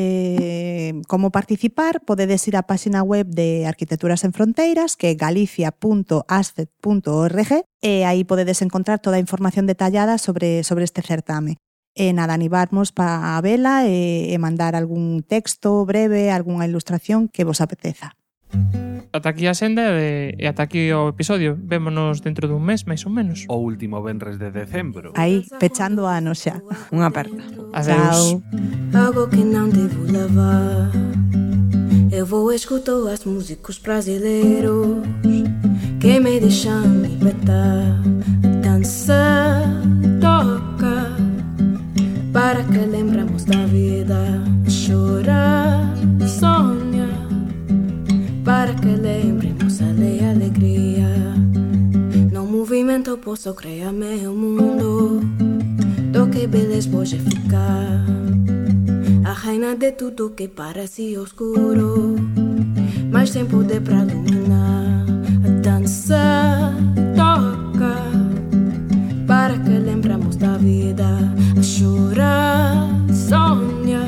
como participar, podedes ir á página web de Arquitecturas en Fronteiras, que é galicia.asfet.org, e aí podedes encontrar toda a información detallada sobre este certame. E nada, animarmos para a vela e mandar algún texto breve, algunha ilustración que vos apeteza. Ata aquí a senda e ata aquí o episodio. Vémonos dentro dun mes, máis ou menos. O último venres de decembro. Aí, pechando o ano xa. Unha aperta. Adeus. Algo que não devo lavar. Eu vou escutar os músicos brasileiros que me deixam libertar. Dança, toca, para que lembramos da vida. Chorar, sonha, para que lembremos a alegria. No movimento posso criar meu mundo, do que beleza pode ficar. A rainha de tudo que parece oscuro, mas tem poder pra iluminar. A dança, toca, para que lembramos da vida. A chorar, sonha,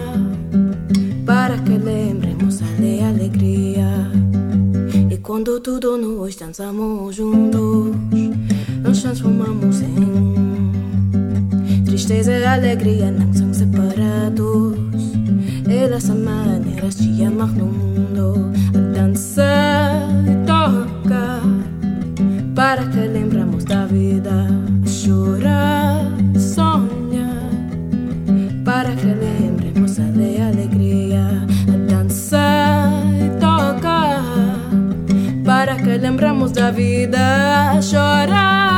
para que lembremos a alegria. E quando tudo nós dançamos juntos, nos transformamos em um. Tristeza e alegria não são separados. Elas são maneiras de amar no mundo. A dança toca, para que lembramos da vida. A chorar, sonha, para que lembremos a alegria. A dança toca, para que lembramos da vida. A chorar,